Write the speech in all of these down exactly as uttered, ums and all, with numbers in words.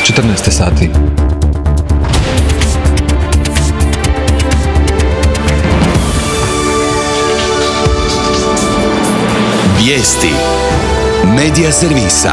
četrnaest sati. Vijesti Medija servisa.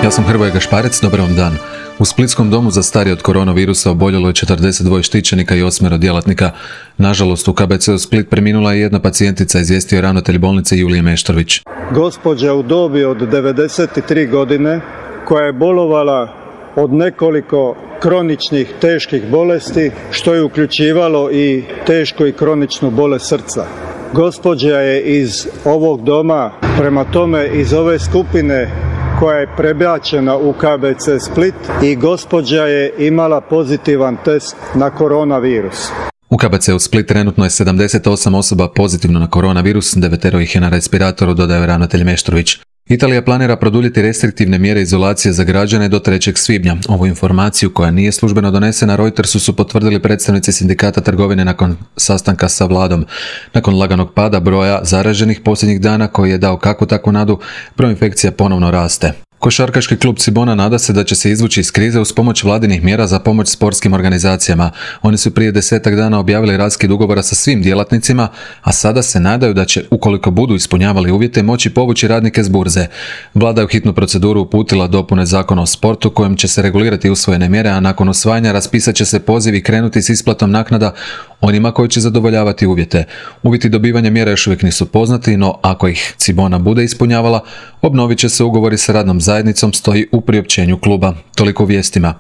Ja sam Hrvoje Gašparec, dobar vam dan. U splitskom domu za starije od koronavirusa oboljelo je četrdeset dva štićenika i osmero djelatnika. Nažalost, u K B C-u Split preminula je jedna pacijentica, izvijestio je ravnatelj bolnice Julije Meštrović. Gospođa u dobi od devedeset tri godine koja je bolovala od nekoliko kroničnih teških bolesti, što je uključivalo i tešku i kroničnu bolest srca. Gospođa je iz ovog doma, prema tome iz ove skupine koja je prebačena u K B C Split, i gospođa je imala pozitivan test na koronavirus. U K B C-u Split trenutno je sedamdeset osam osoba pozitivno na koronavirus, devetero ih je na respiratoru, dodaje ravnatelj Meštrović. Italija planira produljiti restriktivne mjere izolacije za građane do trećeg svibnja. Ovu informaciju, koja nije službeno donesena, Reutersu su potvrdili predstavnici sindikata trgovine nakon sastanka sa vladom. Nakon laganog pada broja zaraženih posljednjih dana, koji je dao kakvu takvu nadu, broj infekcija ponovno raste. Košarkaški klub Cibona nada se da će se izvući iz krize uz pomoć vladinih mjera za pomoć sportskim organizacijama. Oni su prije desetak dana objavili raskid ugovora sa svim djelatnicima, a sada se nadaju da će, ukoliko budu ispunjavali uvjete, moći povući radnike s burze. Vlada je u hitnu proceduru uputila dopune Zakona o sportu kojim će se regulirati usvojene mjere, a nakon usvajanja raspisat će se poziv i krenuti s isplatom naknada onima koji će zadovoljavati uvjete. Uvjeti dobivanja mjera još uvijek nisu poznati, no ako ih Cibona bude ispunjavala, obnovit će se ugovori sa radnom zajednicom, stoji u priopćenju kluba. Toliko u vijestima.